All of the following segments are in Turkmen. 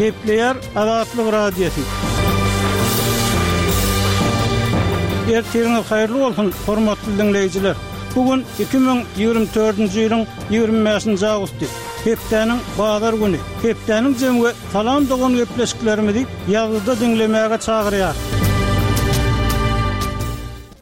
Gepleýär Azatlyk Radiosy. Ertiriňiz haýyrly bolsun, hormatly diňleýjiler! Bu gün 2024-nji ýylyň 25-nji awgusty, hepdäniň bazar güni. Hepdäniň jemi we Salam dogan gepleşiklerimizi ýazgyda diňlemäge çagyrýar.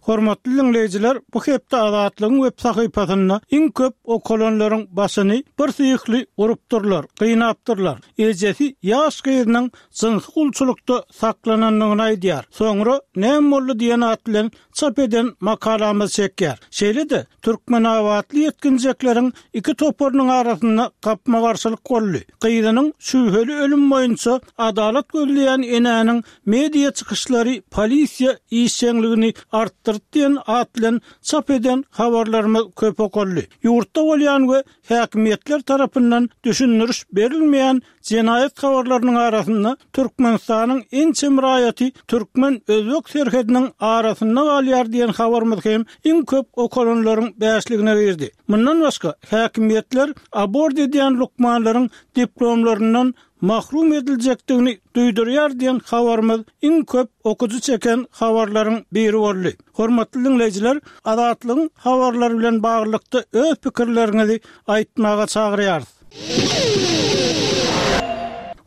Hormatly diňleýjiler, bu hepde Azatlygyň web sahypasynda iň köp okalanlaryň başyny bir syhly urupdyrlar, gynapdyrlar. Ejesi ýaş gyzynyň jynsy gulçulykda saklanandygyny aýdýar. Soňra näme boldy diýen at bilen çap eden makalamyz çekýär. Şeýle-de, türkmenabatly ýetginjekleriň iki toparynyň arasynda gapma-garşylyk boldy. Gyzynyň şübheli ölümi boýunça adalat gözleýän enäniň media çykyşlary polisiýa işjeňligini artdyrdy diýen at bilen çap eden habarlarymyz köp okaldy. Ýurtda bolýan we häkimiýetler tarapyndan düşündiriş berilmeýän Jenaýat habarlarynyň arasynda Türkmenistanyň ençeme raýaty türkmen-özbek serhediniň arasynda galýar diýen habarymyz hem iň köp okalanlaryň bäşligine girdi. Mundan başga, häkimiýetler abort edýän lukmanlaryň diplomlaryndan mahrum ediljekdigini duýdurýar diýen habarymyz iň köp okyjy çeken habarlaryň biri boldy. Hormatly diňleýjiler, Azatlygyň habarlary bilen baglylykda öz pikirleriňizi aýtmaga çagyrýarys.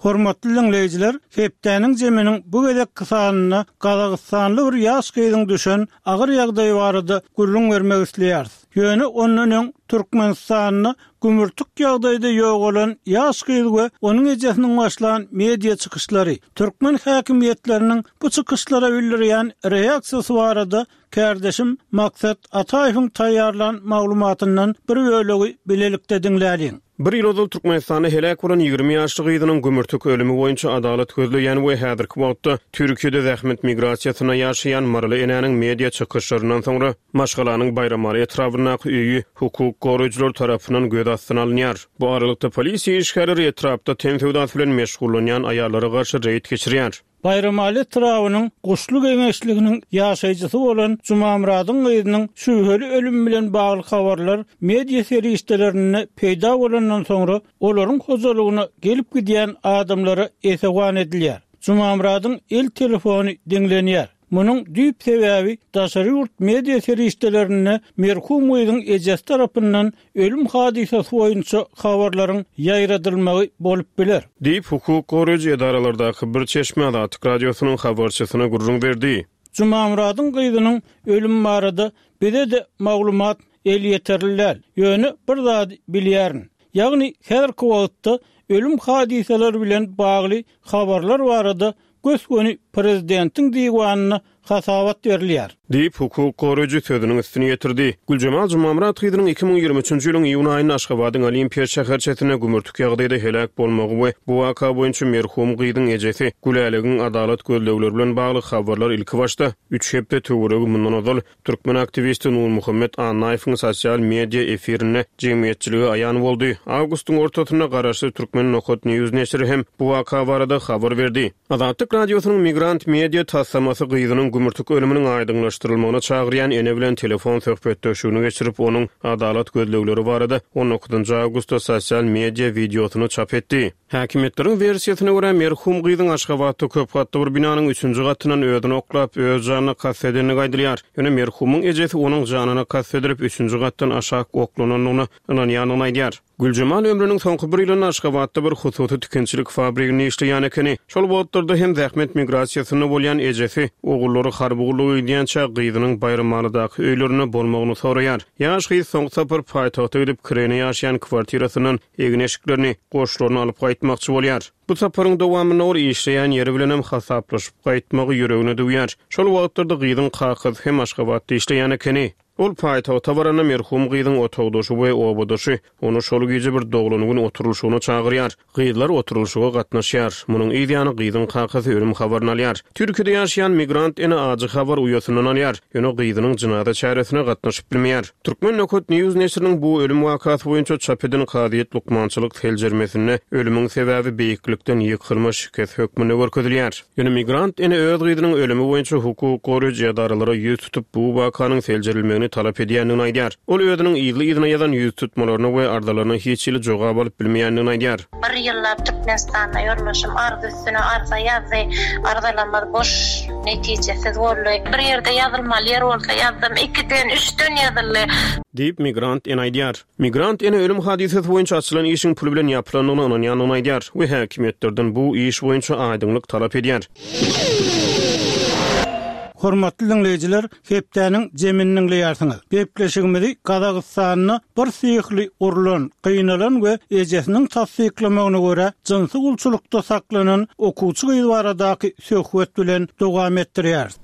Hormatly diňleýjiler, hepdäniň jeminiň bu gezekki sanynda gazagystanly bir ýaş gyzyň düşen agyr ýagdaýy barada gürrüň bermek isleýäris. Ýöne ondan öň Türkmenistanda gümürtik ýagdaýda ýogalan ýaş gyz we onuň ejesiniň başlan media çykyşlary, türkmen häkimiýetleriniň bu çykyşlara bildirýän reaksiýasy barada Kärdeşim Maksat Ataýewiň taýýarlan maglumatyndan bir bölegi bilelikde diňläliň. Bir ýyl ozal Türkmenistanda heläk bolan 20 ýaşly gyzynyň gümürtik ölümi boýunça adalat gözleýän we häzirki wagtda Türkiýede zähmet migrasiýasynda ýaşaýan maryly enäniň media çykyşlaryndan soňra maşgalanyň Baýramaly etrabyndaky öýi hukuk goraýjylar tarapyndan göz astyna alynýar. Bu aralykda polisiýa işgärleri etrapda ten söwdasy bilen meşgullanýan aýallara garşy reýd geçirýär. Baýramaly etrabynyň Guşly geňeşliginiň ýaşaýjysy bolan Jumamyradyň gyzynyň şübheli ölümi bilen bagly habarlar media serişdelerinde peýda bolandan soňra, olaryň hojalygyna gelip-gidýän adamlara esewan edilýär. Jumamyradyň el telefony diňlenýär. Munuň düýp sebäbi daşary ýurt media serişdelerinde merhum gyzyň ejesi tarapyndan ölüm hadysasy boýunça habarlaryň ýaýradylmagy bolup biler. Diýip, hukuk goraýjy edaralardaky bir çeşme Azatlyk Radiosynyň habarçysyna gürrüň berdi. Jumamyradyň gyzynyň ölümi barada bize-de maglumat elýeterli däl. Ýöne bir zady bilýärin. Ýagny häzirki wagtda ölüm hadysalary bilen bagly habarlar barada gös-göni prezidentiň diwanyna hasabat berilýär. Diýip, hukuk goraýjy sözüniň üstüni ýetirdi. Güljemal Jumamyrat gyzynyň 2023 ýylyň iýun aýynda Aşgabadyň Olimpiýa şäherçesinde gümürtik ýagdaýda heläk bolmagy we bu waka boýunça merhum gyzyň ejesi Gülälegiň adalat gözlegleri bilen bagly habarlar ilkibaşda üç hepde töweregi mundan ozal Türkmen aktiwisti Nurmuhammet Annaýewiň sosial media efirinde jemgyýetçilige aýan boldy. Awgustyň ortasynda garaşsyz Türkmen Nokat News neşiri hem bu waka barada habar berdi. Azatlyk Radiosynyň Migrant Media taslamasy gyzynyň gümürtik ölüminiň aýdyňlaşdyrylmagyna çagyrýan ene bilen telefon söhbetdeşligini geçirip, onuň adalat gözlegleri barada on dokuzynjy awgustda sosial media wideosyny çap etdi. Häkimiýetleriň wersiýasyna görä, merhum gyzyň Aşgabatda köp gatly bir binanyň üçünji gatyndan özüni oklap, öz janyna kast edendigi aýdylýar. Ýöne merhumyň ejesi onuň janyna kast edilip, üçünji gatdan aşak oklanandygyna ynanýandygyny aýdýar. Güljemal ömrüniň soňky bir ýylynda Aşgabatda bir hususy tikinçilik fabriginde işleýän ekeni. Şol wagtlarda hem zähmet migrasiýasynda bolýan ejesi ogullary harby gulluga gidýänçä gyzynyň Baýramalydaky öýlerinde bolmagyny soraýar. Ýaş gyz soňky sapar paýtagta gidip, kireýine ýaşaýan kwartirasyndan egin-eşiklerini, goşlaryny alyp gaýtmakçy bolýar. Bu saparyň dowamynda ol işleýän ýeri bilenem hasaplaşyp gaýtmagy ýüregine düwýär. Şol wagtlarda gyzyň kakasy hem Aşgabatda işleýän ekeni. Ol paýtagta baranda merhum gyzyň otagdaşy we obadaşy ony şol gije bir doglan gün oturylyşygyna çagyrýar. Gyzlar oturylyşyga gatnaşýar. Munuň yz ýany gyzyň kakasy ölüm habaryny alýar. Türkiýede ýaşaýan migrant ene ajy habary uýasyndan alýar. Ýöne gyzynyň jynaza çäresine gatnaşyp bilmeýär. Turkmen Nokat News neşiriniň bu ölüm wakasy boýunça çap eden kazyýet lukmançylyk seljermesinde ölümiň sebäbi beýiklikden ýykylma şikes hökmünde görkezilýär. Ýöne migrant ene öz gyzynyň ölümi boýunça hukuk goraýjy edaralara ýüz tutup, bu wakanyň seljerilmegini. talap edýändigini aýdýar. Ol özüniň yzly-yzyna ýazan ýüztutmalaryna we arzalaryna hiç hili jogap alyp bilmeýändigini aýdýar. Bir ýyllap Türkmenistanda ýoldaşym arza üstüne arza ýazdy. Arzalarymyz boş, netijesiz boldy. Bir ýerde ýazylmaly ýer bolsa ýazdym. Ikiden, üçden ýazyldy. Diýip, migrant ene aýdýar. Migrant ene ölüm hadysasy boýunça açylan işiň pul bilen ýapylandygyna ynanýandygyny aýdýar we häkimiýetlerden bu iş boýunça aýdyňlyk talap edýär. Hormatly diňleýjiler, hepdäniň jemini diňleýärsiňiz. Gepleşigimizi Gazagystanda bir syhly urlan, gynalan we ejesiniň tassyklamagyna görä, jynsy gulçulykda saklanan okuwçy gyz baradaky söhbet bilen dowam etdirýäris.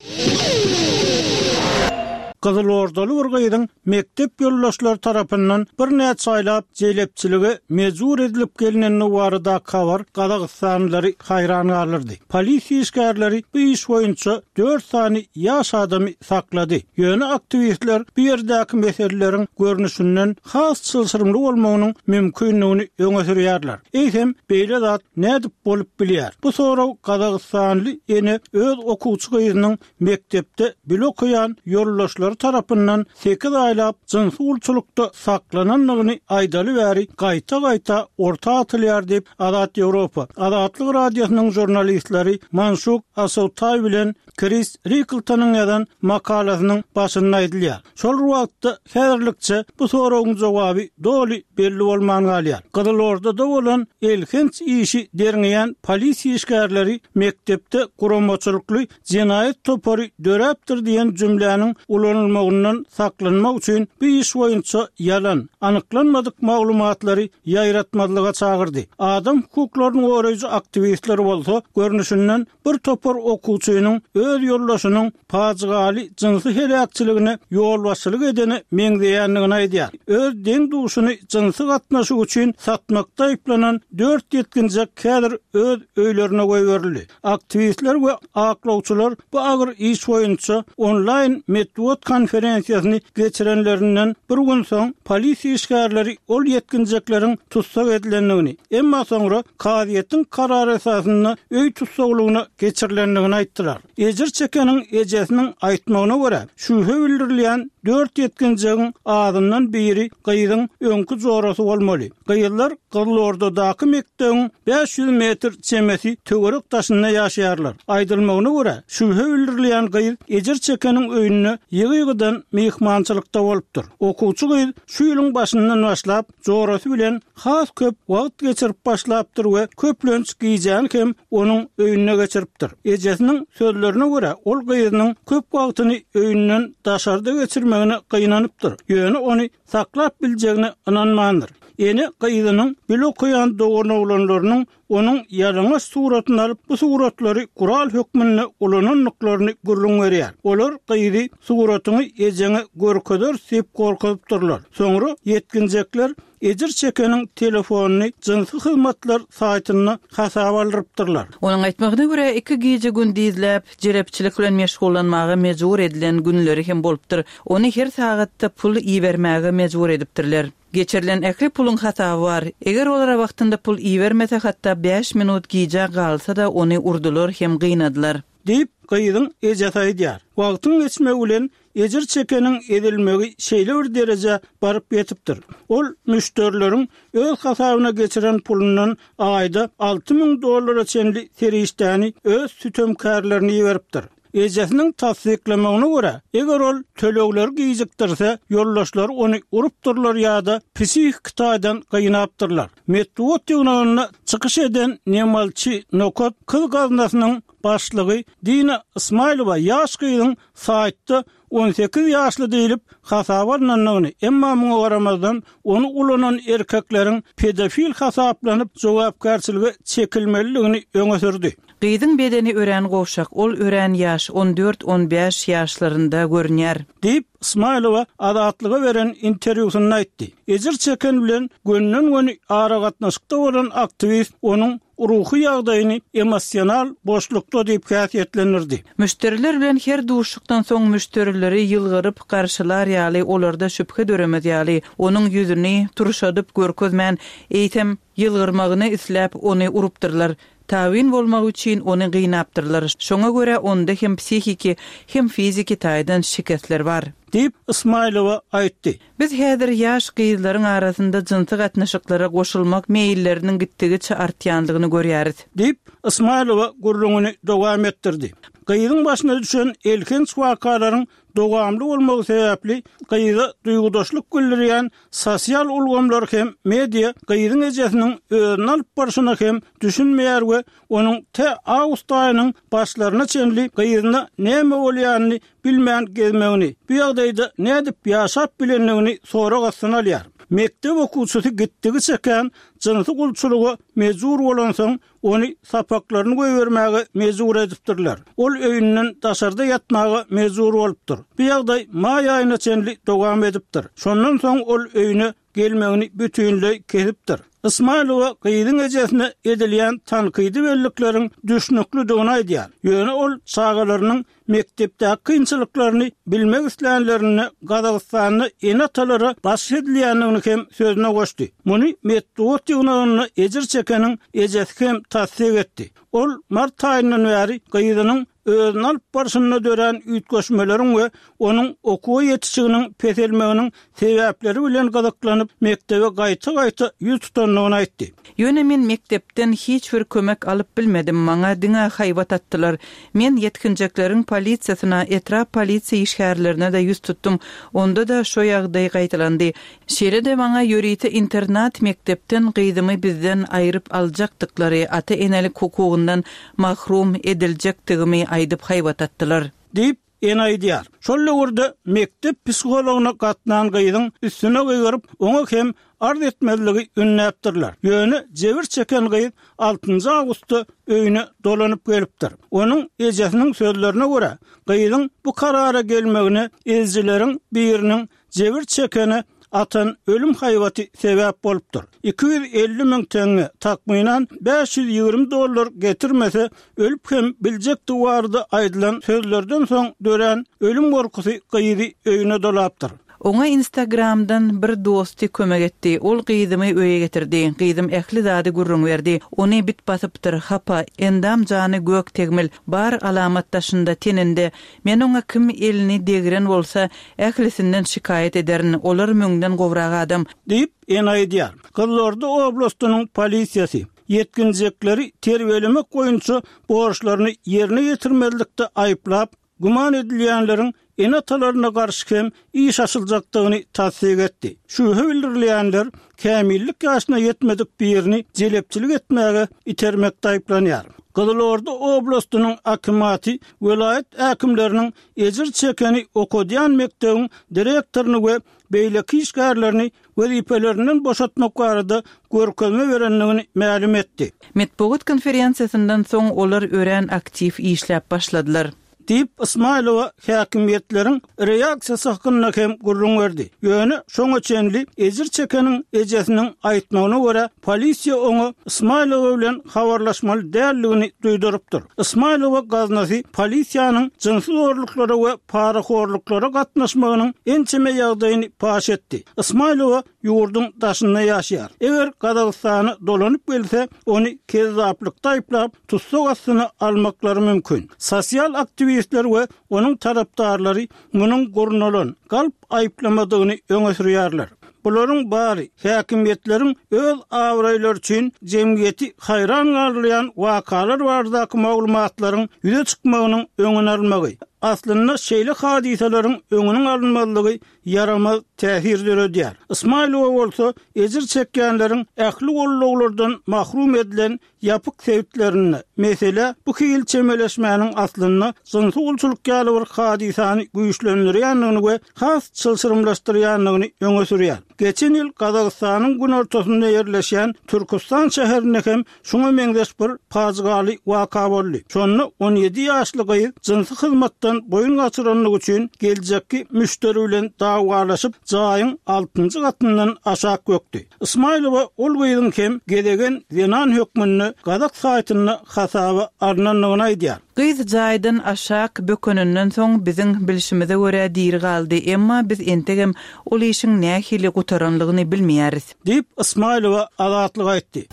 Gyzylordaly bir gyzyň mekdep ýoldaşlary tarapyndan birnäçe aýlap jelepçilige mejbur edilip gelnendigi baradaky habar gazagystanlylary haýran galdyrdy. Polisiýa işgärleri bu iş boýunça dört sany ýaş adamy saklady. Ýöne aktiwistler bu ýerdäki meseleleriň görnüşinden has çylşyrymly bolmagynyň mümkindigini öňe sürýärler. Eýsem, beýle zat nädip bolup bilýär? Bu sorag gazagystanly ene öz okuwçy gyzynyň mekdepde bile okaýan ýoldaşlary tarapyndan sekiz aýlap jynsy gulçulykda saklanandygyny aýdaly bäri gaýta-gaýta orta atylýar diýip, Azat Ýewropa, Azatlyk Radiosynyň žurnalistleri Manşuk Asawtaý bilen Kris Rikltonyň ýazan makalasynyň başynda aýdylýar. Şol bir wagtda, häzirlikçe bu soragyň jogaby doly belli bolman galýar. Gyzylordada bolan elhenç işi derňeýän polisiýa işgärleri mekdepde guramaçylykly jenaýat topary döräpdir diýen jümläniň ulanylmagyndan saklanmak üçin bu iş boýunça ýalan, anyklanmadyk maglumatlary ýaýratmazlyga çagyrdy. Adam hukuklaryny goraýjy aktiwistler bolsa, görnüşinden, bir topar okuwçynyň öz ýoldaşynyň pajygaly jynsy heläkçiligine ýolbaşçylyk edene meňzeýändigini aýdýar. Öz deň-duşuny jynsy gatnaşyk üçin satmakda aýyplanan dört ýetginjek häzir öz öýlerine goýberildi. Aktiwistler we aklawçylar bu agyr iş boýunça onlaýn metbugat konferensiýasyny geçirenlerinden bir gün soň, polisiýa işgärleri ol ýetginjekleriň tussag edilendigini, emma soňra kazyýetiň karary esasynda öý tussaglygyna geçirilendigini aýtdylar. Ejir çekeniň ejesiniň aýtmagyna görä, şübhe bildirilýän dört ýetginjegiň azyndan biri gyzyň öňki jorasy bolmaly. Gyzlar Gyzylordadaky mekdebiň 500 metr çemesi töwerek daşynda ýaşaýarlar. Aýdylmagyna görä, şübhe bildirilýän gyz ejir çekeniň öýünde ýygy-ýygydan myhmançylykda bolupdyr. Okuwçy gyz şu ýylyň başyndan başlap, jorasy bilen has köp wagt geçirip başlapdyr we köplenç gijäni hem onuň öýünde geçiripdir. Ejesiniň sözlerine görä, ol gyzynyň köp wagtyny öýünden daşarda geçirmegine gynanypdyr, ýöne ony saklap biljegine ynanmandyr. Ene gyzynyň bile okaýan doganoglanlarynyň onuň ýalaňaç suratyny alyp, bu suratlary gural hökmünde ulanandyklaryny gürrüň berýär. Olar gyzy suratyňy ejeňe görkezeris diýip gorkuzypdyrlar. Soňra ýetginjekler ejir çekeniň telefonyny jynsy hyzmatlar saýtynda hasaba aldyrypdyrlar. Onuň aýtmagyna görä, iki gije-gündizläp jelepçilik bilen meşgullanmaga mejbur edilen günleri hem bolupdyr. Ony her sagatda pul ibermäge mejbur edipdirler. Geçirilen ähli puluň hasaby bar. Eger olara wagtynda pul ibermese, hatda bäş minut gijä galsa-da, ony urdular hem gynadylar. Diýip, gyzyň ejesi aýdýar. Wagtyň geçmegi bilen ejir çekeniň ezilmegi şeýle bir derejä baryp ýetipdir. Ol müşderileriň öz hasabyna geçiren pulundan aýda 6000 dollara çenli serişdäni öz sütemkärlerine iberipdir. Ejesiniň tassyklamagyna görä, eger ol tölegleri gijikdirse, ýoldaşlary ony urupdyrlar ýa-da psihiki taýdan gynapdyrlar. Metbugat ýygnagynda çykyş eden Nemalçi Nokat kyz gaznasynyň başlygy Dina Ysmaýylowa ýaş gyzyň saýtda 18 ýaşly diýlip hasaba alnandygyny, emma muňa garamazdan, ony ulanan erkekleriň pedofil hasaplanyp jogapkärçilige çekilmelidigini öňe sürdi. Gyzyň bedeni örän gowşak, ol örän ýaş, on dört-on bäş ýaşlarynda görünýär. Diýip, Ysmaýylowa Azatlyga beren interwýusynda aýtdy. Ejir çeken bilen gönden-göni aragatnaşykda bolan aktiwist onuň ruhy ýagdaýyny emosional boşlukda diýip häsiýetlendirdi. Müşderiler bilen her duşuşykdan soň müşderileri ýylgyryp garşylar ýaly, olarda şübhe döremez ýaly, onuň ýüzüni turşadyp görkezmän, eýsem, ýylgyrmagyny isläp, ony urupdyrlar. Tabyn bolmagy üçin ony gynapdyrlar. Şoňa görä onda hem psihiki, hem fiziki taýdan şikesler bar. Diýip, Ysmaýylowa aýtdy. Biz häzir ýaş gyzlaryň arasynda jynsy gatnaşyklara goşulmak meýilleriniň gitdigiçe artýandygyny görýäris. Diýip, Ysmaýylowa gürrüňini dowam etdirdi. Gyzyň başyna düşen elhenç wakalaryň dowamly bolmagy sebäpli gyza duýgudaşlyk bildirýän sosial ulgamlar hem media gyzyň ejesiniň özüni alyp barşyna hem düşünmeýär we onuň tä awgust aýynyň başlaryna çenli gyzyna näme bolýanyny bilmän gezmegini, bu ýagdaýda nädip ýaşap bilendigini sorag astyna alýar. Mekdep okuwçysy gitdigiçe kän jynsy gulçulyga mejbur bolansoň, ony sapaklaryny goýbermäge mejbur edipdirler. Ol öýünden daşarda ýatmaga mejbur bolupdyr. Bu ýagdaý maý aýyna çenli dowam edipdir. Şondan soň ol öýüne gelmegini bütinleý kesipdir. Ysmaýylowa gyzyň ejesine edilýän tankydy bellikleriň düşnüklidigini aýdýar. Ýöne ol çagalarynyň mekdepdäki kynçylyklaryny bilmek islänlerinde Gazagystanda ene-atalara basyş edilýändigini hem sözüne goşdy. Muny metbugat ýygnagynda ejir çekeniň ejesi hem tassyk etdi. Ol mart aýyndan bäri gyzynyň özüni alyp barşynda dörän üýtgeşmeleriň we onuň okuwa ýetişiginiň peselmeginiň sebäpleri bilen gyzyklanyp, mekdebe gaýta-gaýta ýüz tutandygyny aýtdy. Ýöne men mekdepden hiç bir kömek alyp bilmedim, maňa diňe haýbat atdylar. Men ýetginjekleriň polisiýasyna, etrap polisiýa işgärlerine-de ýüz tutdum, onda-da şo ýagdaý gaýtalandy. Şeýle-de maňa ýörite internat mekdepden gyzymy bizden aýryp aljakdyklary, ata-enelik hukugyndan mahrum ediljekdigimi aýdyp haýbat atdylar. Diýip, ene aýdýar. Şol döwürde mekdep psihologyna gatnan gyzyň üstüne gygyryp, oňa hem arz etmezligi ündäpdirler. Ýöne jebir çeken gyz altynjy awgustda öýüne dolanyp gelipdir. Onuň ejesiniň sözlerine görä, gyzyň bu karara gelmegine ezijileriň biriniň Jebir çekene atan ölüm haýbaty sebäp bolupdyr. 250 müň teňňe, takmynan 520 dollar getirmese, ölüp hem biljekdigi barada aýdylan sözlerden soň dörän ölüm gorkusy gyzy öýüne dolapdyr. Oňa Instagramdan bir dosty kömek etdi. Ol gyzymy öýe getirdi. Gyzym ähli zady gürrüň berdi. Ony bit basypdyr, hapa, endam-jany gök tegmil, bar alamat daşynda, teninde. Men oňa kim elini degren bolsa, ählisinden şikaýat ederin, olar müňden gowrak adam. Diýip, ene aýdýar. Gyzylorda oblastynyň polisiýasy, ýetginjekleri terbiýelemek boýunça borçlaryny ýerine ýetirmezlikde aýyplap, güman edilýänleriň ene-atalaryna garşy hem iş açyljakdygyny tassyk etdi. Şübhe bildirilýänler kämillik ýaşyna ýetmedik birini jelepçilik etmäge itermekde aýyplanýar. Gyzylorda oblastynyň akimaty welaýat häkimleriniň ejir çekeni okadýan mekdebiň direktoryny we beýleki işgärlerini wezipelerinden boşatmak barada görkezme berendigini mälim etdi. Metbugat konferensiýasyndan soň olar örän aktiw işläp başladylar. Diýip, Ysmaýylowa häkimiýetleriň reaksiýasy hakynda hem gürrüň berdi. Ýöne şoňa çenli ejir çekeniň ejesiniň aýtmagyna görä, polisiýa oňa Ysmaýylowa bilen habarlaşmaly däldigini duýdurypdyr. Ysmaýylowa gaznasy polisiýanyň jynsy zorluklara we parahorluklara gatnaşmagynyň ençeme ýagdaýyny paş etdi. Ysmaýylowa ýurduň daşynda ýaşaýar. Eger Gazagystana dolanyp gelse, ony kezzaplykda aýyplap, tussag astyna almaklary mümkin. Sosial aktiwistler we onuň tarapdarlary munuň gurnalan, galp aýyplamadygyny öňe sürýärler. Bularyň bary häkimiýetleriň öz abraýlary üçin jemgyýeti haýran galdyrýan wakalar baradaky maglumatlaryň ýüze çykmagynyň öňüni almagy, aslynda şeýle hadysalaryň öňüniň alynmazlygy ýaramaz täsir döredýär. Ysmaýylowa bolsa ejir çekýänleriň ähli gollaglardan mahrum edilen ýapyk sebitlerinde, meselä bu hili çemeleşmäniň aslynda jynsy gulçulyk ýaly bir hadysany güýçlendirýändigini we has çylşyrymlaşdyrýandygyny öňe sürýär. Geçen ýyl Gazagystanyň günortasynda ýerleşýän Türküstan şäherinde hem şuňa meňzeş bir pajygaly waka boldy. Şonda 17 ýaşly gyz jynsy hyzmatdan boýun gaçyranlygy üçin geljekki müşderi bilen dawalaşyp, jaýyň altynjy gatyndan aşak bökdi. Ysmaýylowa ol gyzyň hem gezegen zenan hökmünde gazak saýtynda hasaba alnandygyny aýdýar. Gyz jaýdan aşak bökeninden soň biziň bilşimize görä diri galdy, emma biz entegem ol işiň nähili gutaranlygyny bilmeýäris. Diýip, Ysmaýylowa Azatlyga aýtdy.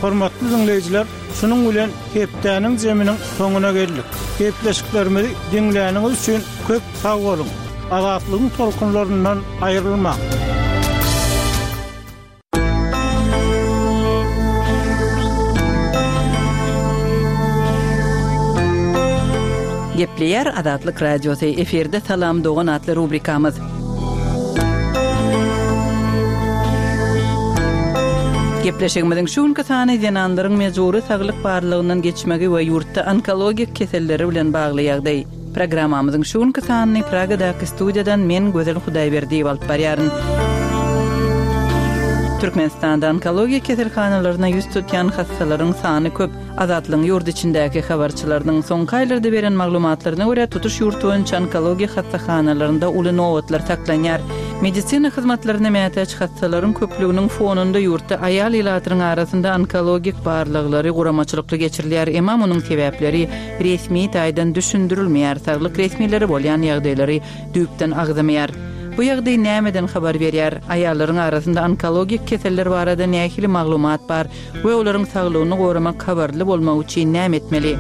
Hormatly diňleýjiler, şunuň bilen hepdäniň jeminiň soňuna geldik. Gepleşiklerimizi diňläniňiz üçin köp sag boluň! Azatlygyň tolkunlaryndan aýrylmaň! Gepleýär Azatlyk Radiosy, efirde Salam dogan atly rubrikamyz. Gepleşigimiziň şu günki sany zenanlaryň mejbury saglyk barlagyndan geçmegi we ýurtda onkologik keselleri bilen bagly ýagdaý. Programmamyzyň şu günki sanyny Pragadaky studiýadan men Gözel Hudaýberdiýewa alyp barýaryn. Türkmenistanda onkologiýa keselhanalaryna ýüz tutýan hassalaryň sany köp. Azatlygyň ýurt içindäki habarçylarynyň soňky aýlarda beren maglumatlaryna görä, tutuş ýurt boýunça onkologiýa hassahanalarynda uly nobatlar saklanýar. Medisina hyzmatlaryna mätäç hassalaryň köplüginiň fonunda ýurtda aýal ilatynyň arasynda onkologik barlaglary guramaçylykly geçirilýär, emma munuň sebäpleri resmi taýdan düşündirilmeýär, saglyk resmileri bolýan ýagdaýlary düýpden agzamaýar. Bu ýagdaý nämeden habar berýär? Aýallaryň arasynda onkologik keseller barada nähili maglumat bar? we olaryň saglygyny goramak habarly bolmagy üçin näme etmeli?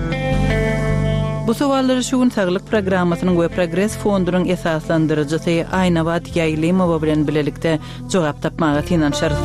Bu sowallara şu gün Saglyk programmasynyň we Progres fondunyň esaslandyryjysy Aýnabat Ýaýlymowa bilen bilelikde jogap tapmaga synanyşarys.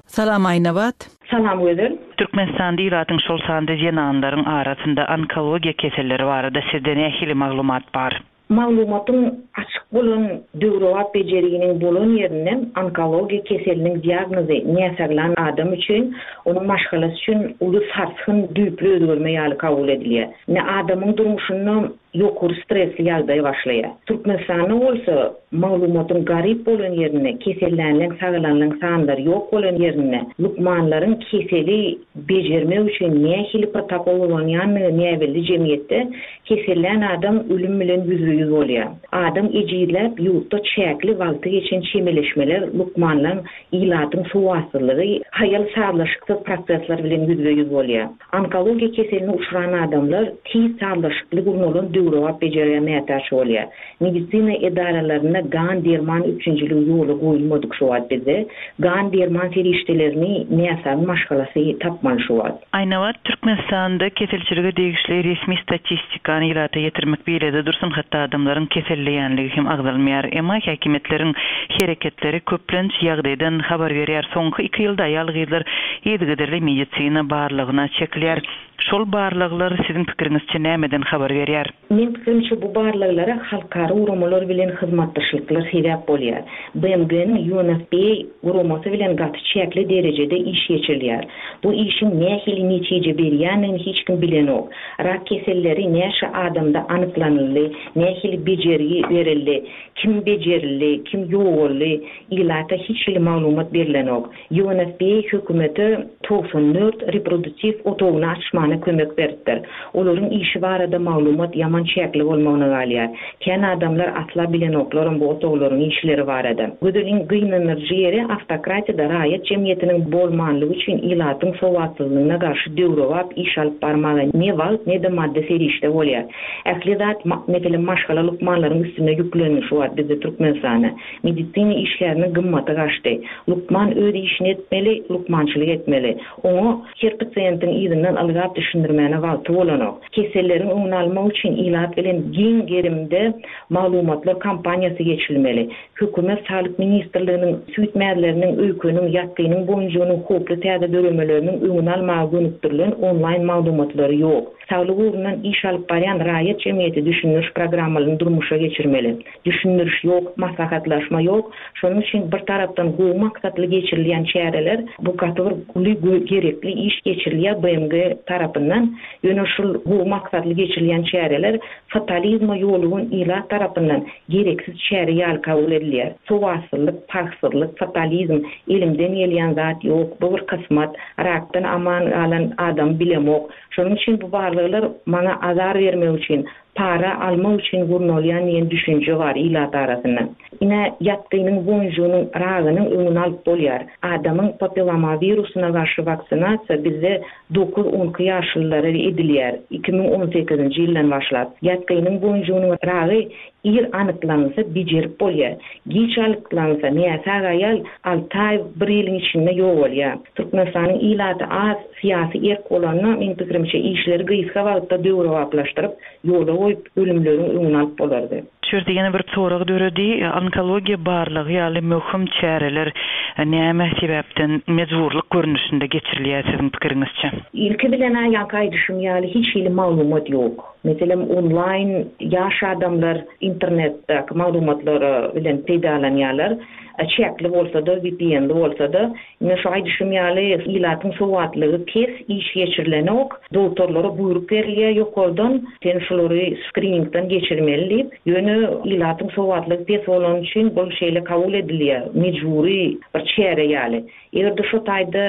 Salam Aýnabat! Salam Gözel! Türkmenistanda ilatyň şol sanda zenanlaryň arasynda onkologiýa keselleri barada sizde nähili maglumat bar? Maglumatyň açyk bolan döwrebap bejerginiň bolan ýerinde onkologiýa keseliniň diagnozy näsaglan adam üçin, onuň maşgalasy üçin uly sarsgyn, düýpli özgerme ýaly kabul edilýär. Indi adamyň durmuşynda ýokary stresli ýagdaý başlaýar. Türkmenistanda bolsa maglumatyň garyp bolan ýerinde, kesellänleň, sagalanlaň sanlary ýok bolan ýerinde, lukmanlaryň keseli bejermek üçin nähili protokol ulanýandygy näbelli jemgyýetde Kesellän adam ölüm bilen ýüzbe-ýüz bolýar. Adam ejizläp, ýurtda çäkli wagty geçen çemeleşmeler, lukmanlaň, ilatyň sowatsyzlygy, haýal sazlaşyksyz prosesler bilen ýüzbe-ýüz bolýar. Onkologiýa keseline uçran adamlar tiz sazlaşykly gurnalan döwrebap bejergä mätäç bolýar. Medisina edaralarynda gan-derman üpjünçiligi ýola goýulmadyk şu wagt bizde. Gan-derman serişdelerini näsagyň maşgalasy tapmaly şu wagt. Aýnabat, Türkmenistanda keselçilige degişli resmi statistikany ilata ýetirmek beýlede dursun, hatda adamlaryň keselleýänligi hem agzalmaýar. Emma häkimiýetleriň hereketleri köplenç ýagdaýdan habar berýär. Soňky iki ýylda aýal-gyzlar yzygiderli medisina barlagyna çekilýär. Şol barlaglar siziň pikiriňizçe nämeden habar berýär? Meň pikirimçe bu barlaglara halkara guramalar bilen hyzmatdaşlyklar sebäp bolýar. BMG-niň UNFPA guramasy bilen gaty çäkli derejede iş geçirilýär. Bu işiň nähili netije berýändigini hiç kim bilenok. Rak keselleri näçe adamda anyklanyldy, nähili bejergi berildi, kim bejerildi, kim ýogaldy, ilata hiç hili maglumat berlenok. UNFPA hökümete 94 reproduktiw otagyny açmana kömek beripdir. Olaryň işi barada maglumat ýaman çäkli bolmagyna galýar. Kän adamlar asla bilenoklaram bu otaglaryň işleri barada. Gözeliň gynandyryjy ýeri awtokratiýada raýat jemgyýetiniň bolmanlygy üçin ilatyň sowatsyzlygyna garşy döwrebap iş alyp barmaga ne wagt ne-de maddy serişde bolýar. Ähli zat meselem maşgala lukmanlaryň üstüne ýüklendi şu wagt bizde Türkmenistanda. Medisina işgäriniň gymmaty gaçdy. Lukman öz işini etmeli, lukmançylyk etmeli. Oňa her pasiýentiň yzyndan ylgap düşündirmäne wagty bolanok. Keselleriň öňüni almak üçin ilat bilen giň gerimde maglumatlar kampaniýasy geçirilmeli. Hökümet Saglyk ministrliginiň süýt mäzleriniň, öýkeniň, ýatgynyň boýunjygynyň howply täze döremeleriniň öňüni almaga gönükdirilen onlaýn maglumatlary ýok. Saglyk ugrundan iş alyp barýan raýat jemgyýeti düşündiriş programmalaryny durmuşa geçirmeli. Düşündiriş ýok, maslahatlaşma ýok. Şonuň üçin bir tarapdan gowy maksatly geçirilýän çäreler, bu gaty bir uly gerekli iş geçirilýär BMG tarapyndan. Ýöne şul gowy maksatly geçirilýän çäreler fatalizme ýolugan ilat tarapyndan gereksiz çäre ýaly kabul edilýär. Sowatsyzlyk, parhsyzlyk, fatalizm, elimden gelýän zat ýok, bu bir kysmat, rakdan aman galan adamy bilemok. Şonuň üçin bu barlaglar maňa azar bermek üçin, para almak üçin gurnalýan diýen düşünje bar ilat arasynda. Ine, ýatgynyň boýunjygynyň ragynyň öňüni alyp bolýar. Adamyň papillomawirusyna garşy waksinasiýa bizde dokuz-on iki ýaşlylara edilýär, 2018-nji ýyldan başlap. Ýatgynyň boýunjygynyň ragy ir anyklanylsa bejerip bolýar. Giç anyklanylsa, näsag aýal alty aý, bir ýylyň içinde ýogalýar. Türkmenistanyň ilaty az, syýasy erk bolanda, meň pikirimçe, işleri gysga wagtda döwrebaplaşdyryp, ýola goýup, ölümleriň öňüni alyp bolardy. Şu ýerde ýene bir sorag döredi, onkologiýa barlagy ýaly möhüm çäreler näme sebäpden mejburlyk görnüşinde geçirilýär siziň pikiriňizçe? Ilki bilen-ä ýaňky aýdyşym ýaly hiç hili maglumat ýok. Meselem onlaýn ýaş adamlar internetdäki maglumatlara bilen peýdalanýarlar. Çäkli bolsa-da, VPN-li bolsa-da. Ine şu aýdyşym ýaly ilatyň sowatlygy pes, iş geçirilenok, dogtorlara buýruk berilýär ýokardan, sen şulary skriningden geçirmeli diýip, ýöne ilatyň sowatlygy pes bolany üçin bul şeýle kabul edilýär, mejbury bir çäre ýaly. Eger-de şo taýda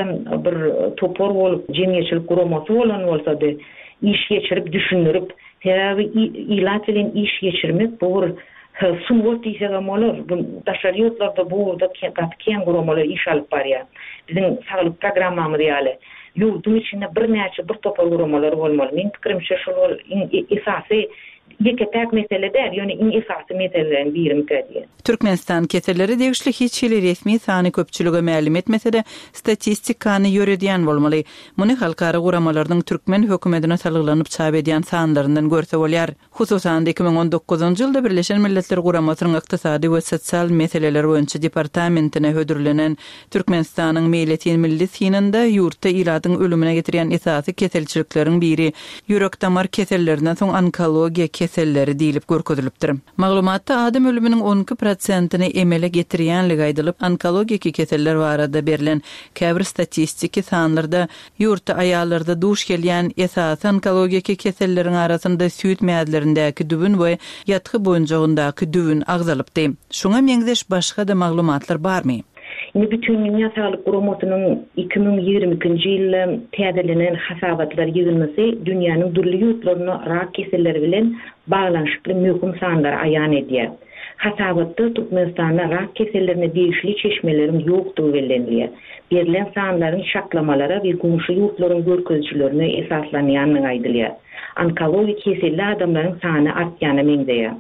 bir topar bolup, jemgyýetçilik guramasy bolan bolsady, iş geçirip, düşündirip, sebäbi ilat bilen iş geçirmek bu bir Sungat diýsegem bolar. Bu daşary ýurtlarda bu ugurda gaty kän guramalar iş alyp barýar. Biziň saglyk programmamyz ýaly, ýurduň içinde birnäçe bir topar guramalar bolmaly. Meň pikirimçe şol ol iň esasy ýeke-täk mesele däl, ýöne iň esasy meseleleriň birimikä diýen. Türkmenistan kesellere degişli hiç hili resmi sany köpçülige mälim etmese-de, statistikany ýöredýän bolmaly. Muny halkara guramalarynyň türkmen hökümetine salgylanyp çap edýän sanlaryndan görse bolýar. Hususan-da, 2019-njy ýylda Birleşen Milletler Guramasynyň Ykdysady we sosial meseleler boýunça departamentine hödürlenen Türkmenistanyň meýletin milli synynda ýurtda ilatyň ölümine getirýän esasy keselçilikleriň biri ýürek-damar kesellerinden soň onkologiýa keselleri diýlip görkezilipdir. Maglumatda adam ölüminiň 12 prosentini emele getirýänligi aýdylyp, onkologiki keseller barada berlen käbir statistiki sanlarda Ýurtda aýallarda duş gelýän esasy onkologiki keselleriň arasynda süýt mäzlerindäki düwün we ýatgy boýunjagyndaky düwün agzalypdy. Şuňa meňzeş başga-da maglumatlar barmy? Indi Bütindünýä Saglyk Guramasynyň 2022-nji ýylda täzelenen hasabatlar ýygyndysy dünýäniň dürli ýurtlarynda rak keselleri bilen baglanyşykly möhüm sanlary aýan edýär. Hasabatda Türkmenistanda rak kesellerine degişli çeşmeleriň ýokdugy bellenilýär. Berlen sanlaryň çaklamalara we goňşy ýurtlaryň görkezijilerine esaslanýandygy aýdylýar. Onkologik keselli adamlaryň sany artýana meňzeýär.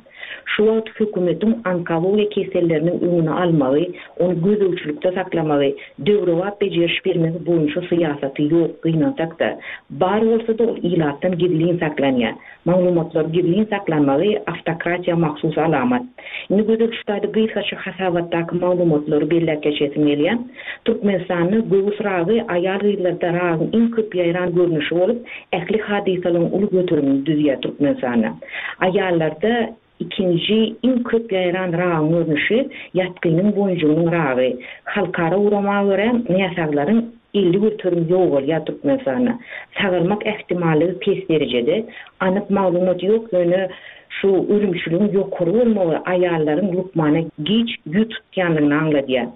Şu wagt hökümetiň onkologiýa keselleriniň öňüni almagy, ony gözegçilikde saklamagy, döwrebap bejeriş bermegi boýunça syýasaty ýok, gynansak-da. Bar bolsa-da ol ilatdan gizlin saklanýar. Maglumatlary gizlin saklanmagy awtokratiýa mahsus alamat. Indi Gözel şu taýda gysgaça hasabatdaky maglumatlary belläp geçesim gelýär. Türkmenistanda göwüs ragy aýal-gyzlarda ragyň iň köp ýaýran görnüşi bolup, ähli hadysalaryň uly göterimini düzýär Türkmenistanda. Aýallarda ikinji iň köp ýaýran ragyň görnüşi ýatgynyň boýunjygynyň ragy. Halkara gurama görä, näsaglaryň 50% ýogalýar Türkmenistanda. Sagalmak ähtimallygy pes derejede. Anyk maglumat ýok, ýöne şu ölümçiligiň ýokary bolmagy aýallaryň lukmana giç ýüz tutýandygyny aňladýar.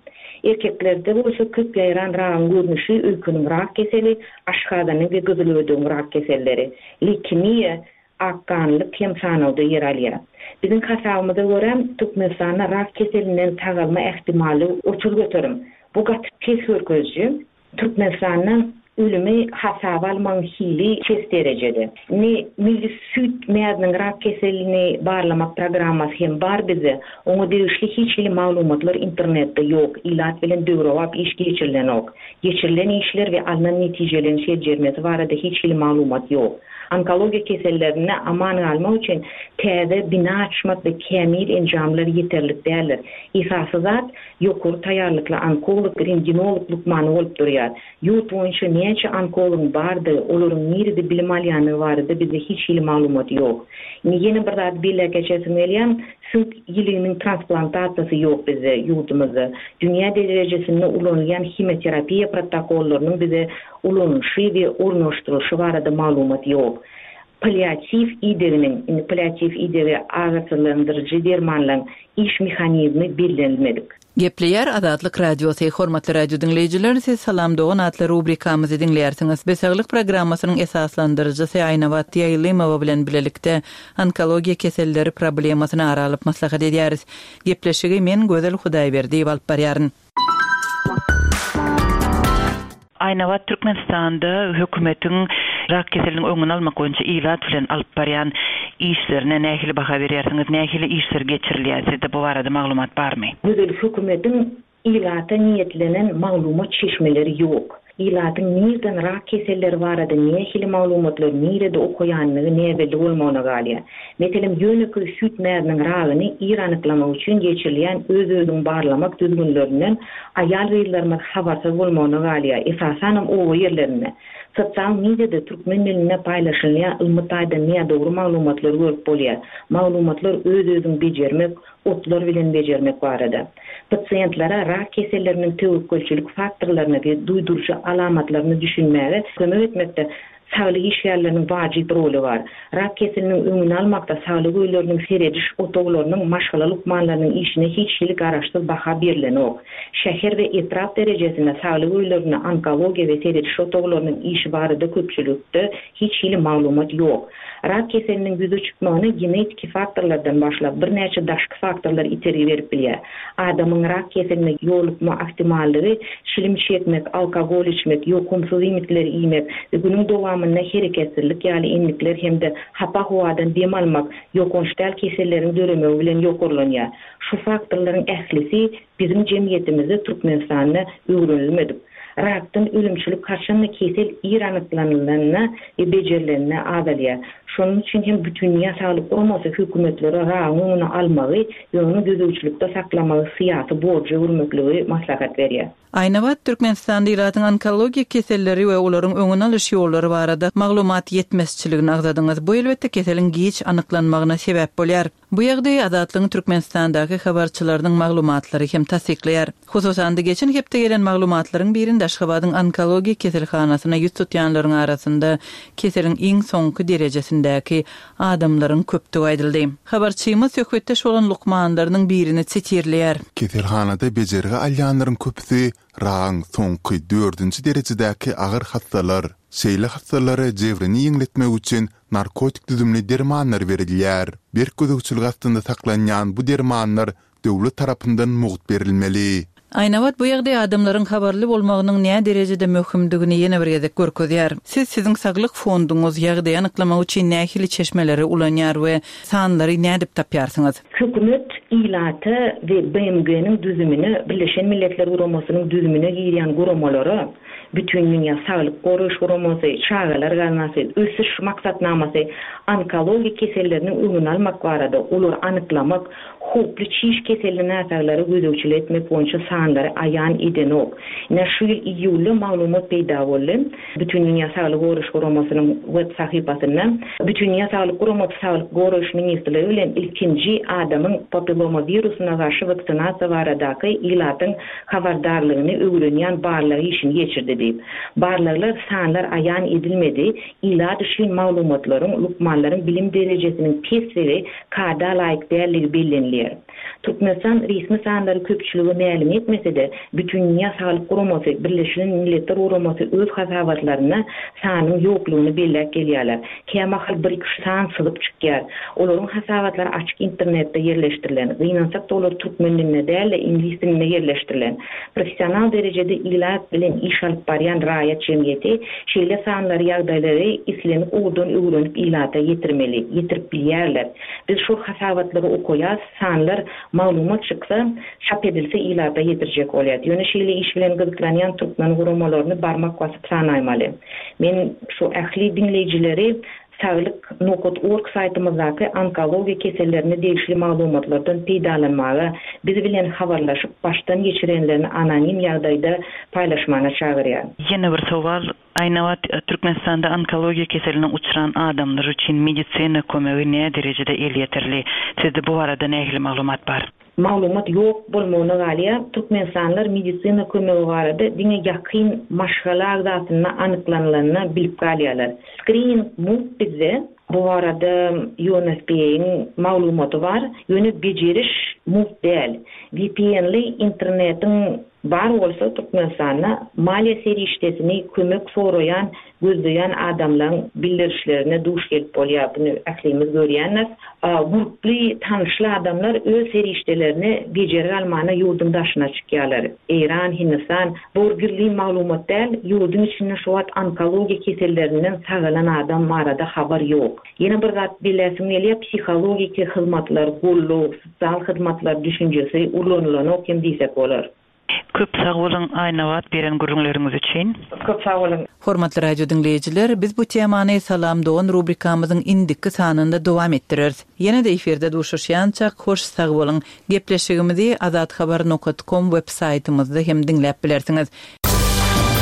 Erkeklerde bolsa köp ýaýran ragyň görnüşi öýkeniň rak keseli, aşgazanyň we gyzylödegiň rak keselleri, leýkemiýa, akganlyk hem sanawda ýer alýar. Biziň hasabymyza görä, Türkmenistanda rak keselinden sagalma ähtimallygy 30%. Bu gaty pes görkeziji. Türkmenistanda ölümi hasaba almagyň hili pes derejede. Indi milli süýt mäziniň rak keselini barlamak programmasy hem bar bizde. Oňa degişli hiç hili maglumatlar internetde ýok, ilat bilen döwrebap iş geçirilenok. Geçirilen işler we alnan netijeleriň seljermesi barada hiç hili maglumat ýok. Onkologiýa kesellerinde aman galmak üçin täze bina açmak we kämil enjamlar ýeterlik däldir. Esasy zat, ýokary taýýarlykly onkolog, rentgenolog lukmany bolup durýar. Ýurt boýunça näçe onkologyň bardygy, olaryň nirede bilim alýandygy barada bizde hiç hili maglumat ýok. Indi ýene bir zady belläp geçesim gelýär, süňk ýiliginiň transplantasiýasy ýok bizde, ýurdumyzda. Dünýä derejesinde ulanylýan himioterapiýa protokollarynyň bize ulanylyşy we ornaşdyrylyşy barada maglumat ýok. Palliatiw ideginiň, indi palliatiw idegi agyrsyzlandyryjy dermanlaryň iş mehanizmi bellenilmedik. Gepleýär Azatlyk Radiosy, Hormatly radio diňleýjiler, siz Salam dogan atly rubrikamyzy diňleýärsiňiz. Biz Saglyk programmasynyň esaslandyryjysy Aýnabat Ýaýlymowa bilen bilelikde onkologiýa keselleri problemasyny ara alyp maslahat edýäris. Gepleşigi men Gözel Hudaýberdiýewa alyp barýaryn. Aýnabat Türkmenistanda hökümetiň rak keseliniň öňüni almak boýunça ilat bilen alyp barýan işlerine nähili baha berýärsiňiz? Nähili işler geçirilýär? Sizde bu barada maglumat barmy? Gözel hökümetiň ilata niýetlenen maglumat çeşmeleri ýok. Ilatyň nirden rak keselleri barada nähili maglumatlary nirede okaýanlygy näbelli bolmagyna galýar. Meselem, ýönekeý süýt mäziniň ragyny ir anyklamak üçin geçirilýän öz-özüňi barlamak düzgünlerinden aýal-gyzlarymyz habarsyz bolmagyna galýar, esasanam oba ýerlerinde. Sosial mediada türkmen dilinde paýlaşylýan ylmy taýdan nädogry maglumatlary görüp bolýar. Maglumatlar öz-özüňi bejermek, otlar bilen bejermek barada. Pasiýentlere rak keselleriniň töwekgelçilik faktorlaryna we duýduryjy alamatlaryna düşünmäge kömek etmekde saglyk işgärleriniň wajyp roly bar. Rak keseliniň öňüni almakda saglyk öýleriniň serediş otaglarynyň maşgala lukmanlarynyň işine hiç hili garaşsyz baha berlenok. Şäher we etrap derejesinde saglyk öýlerinde onkologiýa we serediş otaglarynyň işi barada köpçülikde hiç hili maglumat ýok. Rak keseliniň ýüze çykmagyna genetiki faktorlardan başlap, birnäçe daşky faktorlar itergi berip bilýär. Adamyň rak keseline ýolukma ahtimallygy çilim çekmek, alkogol içmek, ýokumsyz iýmitleri iýmek we günüň dowamynda hereketsizlik ýaly endikler hem-de hapa howadan dem almak ýokanç däl keselleriň döremegi bilen ýokarlanýar. Şu faktorlaryň ählisi biziň jemgyýetimizde Türkmenistanda öwrenilmedik. Rakdan ölümçilik haçanda kesel ir anyklanylanda we bejerilende azalýar. Şonuň üçin hem Bütindünýä Saglyk Guramasy hökümetlere ragyň öňüni almagy we ony gözegçilikde saklamagy syýasy borja öwürmekligi maslahat berýär. Aýnabat, Türkmenistanda ilatyň onkologiýa keselleri we olaryň öňüni alyş ýollary barada maglumat ýetmezçiligini agzadyňyz. Bu elbetde keseliň giç anyklanmagyna sebäp bolýar. Bu ýagdaýy Azatlygyň Türkmenistandaky habarçylarynyň maglumatlary hem tassyklaýar. Hususan-da, geçen hepde gelen maglumatlaryň birinde Aşgabadyň onkologiýa keselhanasyna ýüz tutýanlaryň arasynda keseliň iň soňky derejesindäki adamlaryň köpdügi aýdyldy. Habarçymyz söhbetdeş bolan lukmanlarynyň birini sitirleýär. Keselhanada bejergi alýanlaryň köpüsi ragyň soňky dördünji derejedäki agyr hassalar. Şeýle hassalara jebrini ýeňletmek üçin narkotik düzümli dermanlar berilýär. Berk gözegçilik astynda saklanýan bu dermanlar döwlet tarapyndan mugt berilmeli. Aýnabat bu ýagdaý adamlaryň habarly bolmagynyň näderejede möhümdigini ýene bir gezek görkezýär. Siz siziň saglyk fonduňyz ýagdaýy anyklamak üçin nähili çeşmeleri ulanýar we sanlary nädip tapýarsyňyz? Hökümet ilata we BMG-niň düzümine, Birleşen Milletler Guramasynyň düzümine girýän guramalara, Bütindünýä saglyk goraýyş guramasy, Çagalar gaznasy, Ösüş maksatnamasy onkologik keselleriniň öňüni almak barada, olary anyklamak, howply çiş keselli näsaglara gözegçilik etmek boýunça sanlary aýan edenok. Ine, şu ýyl iýulda maglumat peýda boldy. Bütindünýä saglygy goraýyş guramasynyň web sahypasynda Bütindünýä saglyk guramasy Saglyk goraýyş ministrligi bilen ilkinji adamyň papilloma wirusyna garşy waksinasiýa baradaky ilatyň habardarlygyny öwrenýän barlag işini geçirdi diýip. Barlaglar sanlar aýan edilmedi, ilat üçin maglumatlaryň, lukmanlaryň bilim derejesiniň pesligi, kada laýyk dälligi bellenilýär. Türkmenistan resmi sanlary köpçülige mälim etmese-de, Bütindünýä saglyk guramasy, Birleşilen Milletler Guramasy öz hasabatlarynda sanyň ýoklugyny belläp gelýärler. Kämahal bir-iki san syzyp çykýar. Olaryň hasabatlary açyk internetde ýerleşdirilen. Gynansak-da olar türkmen dilinde däl-de, iňlis dilinde ýerleşdirilen. Professional derejede ilat bilen iş alyp barýan raýat jemgyýeti şeýle sanlary, ýagdaýlary islendik ugurdan öwrenip ilata ýetirmeli. Ýetirip bilýärler. Biz şol hasabatlary okaýas, sanlar, maglumat çyksa, çap edilse ilata ýetirjek bolýas. Ýöne şeýle iş bilen gyzyklanýan türkmen guramalaryny barmak basyp sanaýmaly. Men şu ähli diňleýjileri Saglyk nokat org saýtymyzdaky onkologiýa kesellerine degişli maglumatlardan peýdalanmaga, biz bilen habarlaşyp, başdan geçirenlerini anonim ýagdaýda paýlaşmana çagyrýan. Ýene bir sowal, Aýnabat, Türkmenistanda onkologiýa keseline uçran adamlar üçin medisina kömegi näderejede elýeterli? Sizde bu barada nähili maglumat bar? Maglumat ýok bolmagyna galýar. Türkmenistanlylar medisina kömegi barada diňe ýakyn maşgala agzasynda anyklanylanda bilip galýarlar. Skrining mugt bizde. Bu barada UNFPA-yň maglumaty bar. Ýöne bejeriş mugt däl. VPN-li internetiň bar bolsa Türkmenistanda maliýe serişdesini kömek soraýan gözleýän adamlaň bildirişlerine duş gelip bolýar, buny ählimiz görýändiris. Gurply, tanyşly adamlar öz serişdelerini bejergi almana ýurduň daşyna çykýarlar. Eýran, Hindistan, bu bir gizlin maglumat däl, ýurduň içinde şu wagt onkologiýa kesellerinden sagalan adam barada habar ýok. Ýene bir zat belläsim gelýär, psihologiki hyzmatlar, goldaw, sosial hyzmatlar düşünjesi ulanylanok hem diýsek bolar. Köp sag boluň Aýnabat beren gürrüňleriňiz üçin. Köp sag boluň. Hormatly radio diňleýjiler, biz bu temany Salam dogan rubrikamyzyň indiki sanynda dowam etdireris. Ýene-de efirde duşuşýançak hoş sag boluň. Gepleşigimizi azathabar nokat kom web saýtymyzda hem diňläp bilersiňiz.